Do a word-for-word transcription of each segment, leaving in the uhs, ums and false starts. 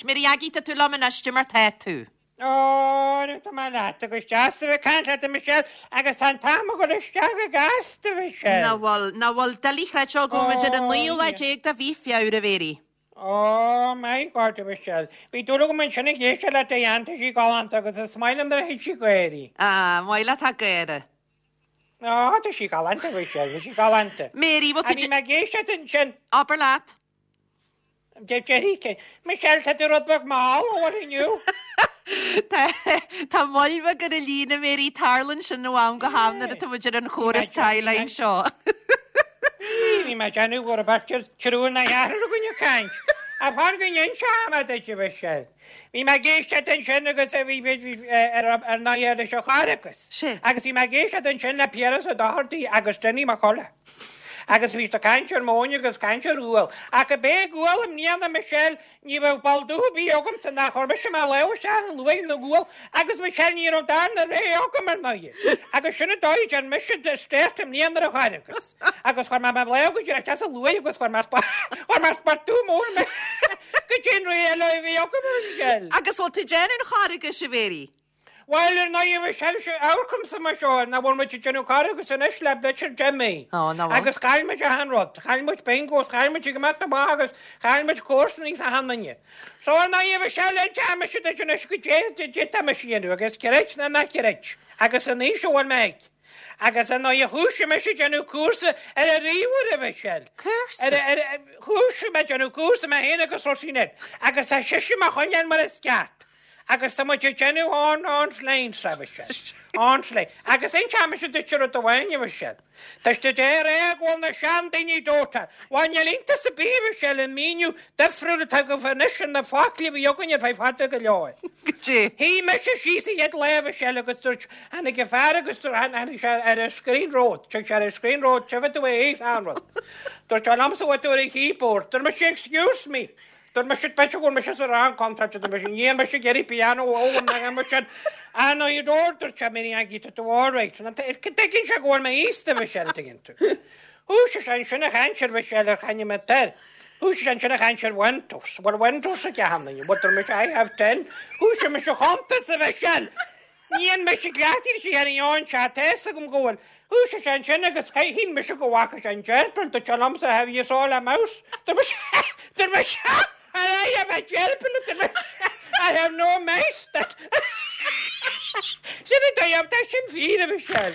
Mary Aggie tá tú liom anois mar tá tú. Ó tá mé leat agus deas a bheith ag caint leat Michelle agus tá an t-am ag dul isteach go gasta Michelle. Nach bhfuil nach bhfuil doiligh a chreidbheáil go bhfuil ar an naoú lá déag de mhí Feabhra Mary. Ó my God Michelle. Bhí dúil agam ansin ag éisteacht le déanta sí galánta agus is maith liom nuair a thit sí gáirí. Ah, maith leat a gáire. Á tá sí galánta Michelle, bhí sí galánta. Mary A bhí mé ag éisteacht ansin Abair leat. De Jerry Michelle tá tú rud beag mall ó inniu. Tá moll bheag ar an líne Mary tarlaíonn sin ó am go ham nuair atá muid ar an chóras tie-line seo. Bhí mé déanamh go raibh triúr nó ceathrar againn ag caint. A fan go n-inseoidh mé duit Michelle. Bhí mé ag éisteacht ansin agus bhí ar ar na leis an Charghas. Sé. Agus bhí mé ag éisteacht ansin le Piaras Ó Dochartaigh agus Dinny Mac Colla. Agus bhí ag caint ar mhóin agus caint ar ghual. Ach a bé gual am níana Michelle ní bheadh ball dútha bí agam san nach chuir mise mar le se an luaigh na gual agus Michelle ní raibh darna ré agam ar ndóigh. Agus sin an dóigh an mise stéart am níana a Charghas. Agus chuir mé mar le go dtí a luaigh agus chuir mar chuir mar spartú mór me go dtí ré eile a bhí agam ar Michelle. Agus bhfuil tú déanamh an Charghais a Mary. Well ar ndóigh Michelle se amharcam sa mar seo na bhfuil muid déanamh Carghas anois le bleitir Jimmy. Ó, ná bhfuil. Agus chaill muid achan rud, chaill muid bingo, chaill muid go maith amach agus chaill muid comharsana is achan duine. So ar ndóigh Michelle an team se duit anois go dé dé tá me sianú agus creid nó ná creid agus an aois a bhfuil mé ag. Agus an ndóigh chuaigh mise déanamh cúrsa ar a ríomhaire Michelle. Cúrsa? Ar ar chuaigh mé déanamh cúrsa mé féin agus Roisin agus tá sise mar choinneáil mar is ceart. Agus tá muid ag déanamh an online sa Michelle. Online. Agus inseoidh mise duit rud amháin Michelle. Tá sé déir é go bhfuil na seandaoine dóite. Bhain iontas ar bith Michelle an míniú difriúil atá go anois na focla a bhí againn ar feadh fada go leor. Goidé. Shuigh mise síos an chéad lá Michelle agus dúirt tháinig an fear agus tháinig sé ar an screen road, Tug sé ar an screen road, tibh tú é an rud. Dúirt sé liomsa bhfuil tú ar an keyboard, dúirt mise excuse me. Dúirt mise be go mise sa rang contract dúirt mise ní mise ag iarraidh piano ó na mise an ó dúirt dúirt sé mé an tú tú all right. Tuigeann sé go bhfuil mé aosta Michelle tuigeann tú. Thosaigh sé ansin ag caint ar Michelle ar chaine mé ter. Thosaigh sé ansin ag caint ar Windows. Bhfuil Windows ag achan duine, Bhfuil mise I have ten. Thosaigh mise chuntas a Michelle. Ní an mise gleachtaí sí ar an se tá agam go bhfuil. Thosaigh sé ansin agus shíl mise go bhfaca sé an gerbil dúirt sé liomsa have you saw a mouse? Dúirt mise dúirt mise I have a gerbil dúirt mise I have no mouse. Sin é tá sin fíor a Michelle.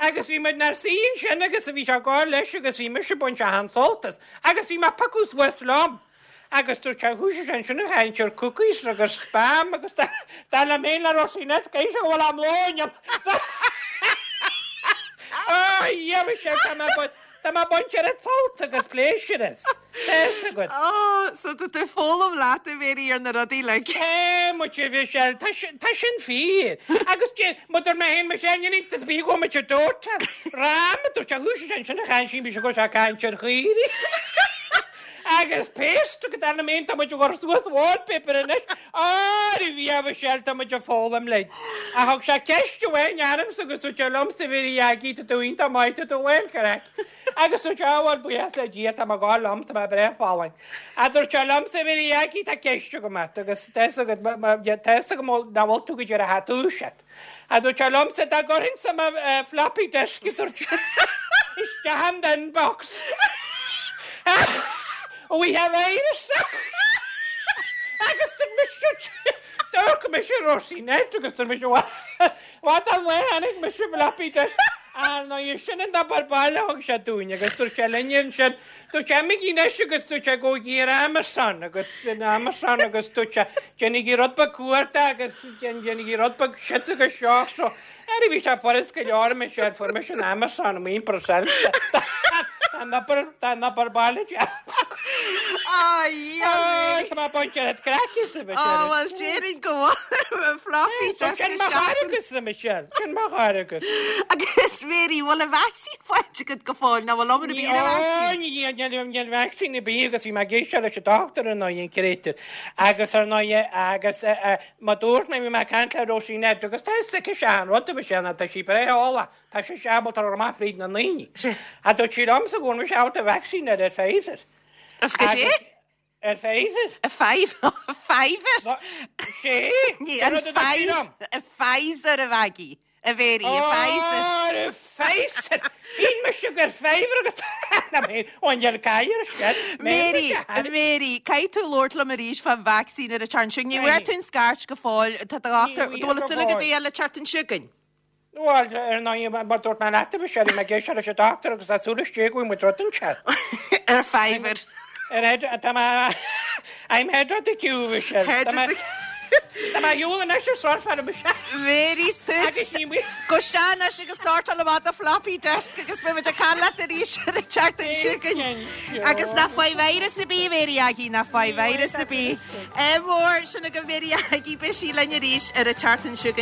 Agus bhí muid nar suí sin agus a bhí sé gáir leis agus bhí mise baint an sult as agus bhí mé piocadh suas liom. Agus dúirt sé thosaigh sé ansin ag caint ar cookies agus spam agus dá le mé le Roisin cé se bhfuil am lóin. Á Michelle tá mé Tá mé baint ar an sult agus pléisiúr as. Tá Ó, so tá tú foghlaim leat a Mary ar na rudaí le. É mu bhí sé tá sin fíor. Agus mu mé héin me sé ní bí go me dóta. Rám dúirt sé thosaigh sé ansin ag caint sin bí go sé caint ar chaoirigh. Agus paste go dana mé tá muid gur suas wallpaper anois á bhí a sé tá muid ag foghlaim le. A thug sé ceist amháin orm agus dúirt sé liomsa Mary Aggie tá tú iontach maith tá tú well correct. Agus dúirt sé bhfuil buíochas le Dia tá mé gáil liom tá mé breá folláin. A dúirt sé liomsa Mary Aggie tá ceist agam agus tá tá go ná bhfuil tú go dtí a hatú set. A dúirt sé liomsa dá gcuirfinn sa floppy disk dúirt isteach an inbox. We have virus. Agus dúirt mise dúirt mise Roisin agus dúirt mise Wat an le tháinig mise floppy disk. Ar ná sin an obair baile thug sé dúinn agus dúirt sé linne sin dúirt sé imígí anois agus dúirt sé go ar Amazon agus in Amazon agus dúirt sé déanaigí rud beag cuarta agus déanaigí rud beag shit agus seo so ar bhí sé furas go leor me sé fuair mise an Amazon am percent. Tá an obair tá an obair baile Ai, Tá mé baint ar craic a Á bhfuil déarfainn go bhfuil floppy disk Sin mar agus a Michelle, sin mar agus. Agus Mary bhfuil an vaccine faighte agat go fóill ná bhfuil am bí Ní níl vaccine bí agus bhí mé ag éisteacht leis an doctor an an créitir. Agus ar ná agus má dúirt mé bhí mé caint le Roisin agus tá se an rud a sé tá sí breá eolach tá sé seabaltar ar amach fríd na ndaoine. A dúirt sí liomsa go bhfuil sé ábalta vaccine ar ar Pfizer. Go dé? Ar Pfizer. A Pfizer? Pfizer? Sé? Ní, an Pfizer, a Pfizer a Mhaggie, a Mhary, a Pfizer. Ó, a Pfizer! Bíonn mise gur Pfizer agat! Na mé, ón ar cair sin. Mary, a Mary, caithfidh tú labhairt liom arís fán vacsaín ar an tseachtain seo. Ní bhfuair tú an scairt go fóill, tá do dhochtúir, Ní do bhfuil bhfuair go súil agat fóill. é a fháil an tseachtain seo chugainn? Bhuel, ar ndóigh, mar dúirt mé leat, bhí sé mé ag éisteacht leis an dochtúir agus tá súil istigh go bhfuil muid rud anseo. Ar Pfizer. Ar head, tá mé, I'm head of the queue, Michelle. Head Tá of mé- the- Tá mé shiúl anois ar sort Michelle. Mary, Agus ní mé- Go isteach anois agus sortáil amach do floppy disk agus beidh muid ag caint leat arís ar an tseachtain seo chugainn. Agus ná faigh virus ar bith Mary Aggie, ná faigh virus ar bith. É mór sin go Mary Aggie beidh sí linn arís ar an tseachtain seo chugainn.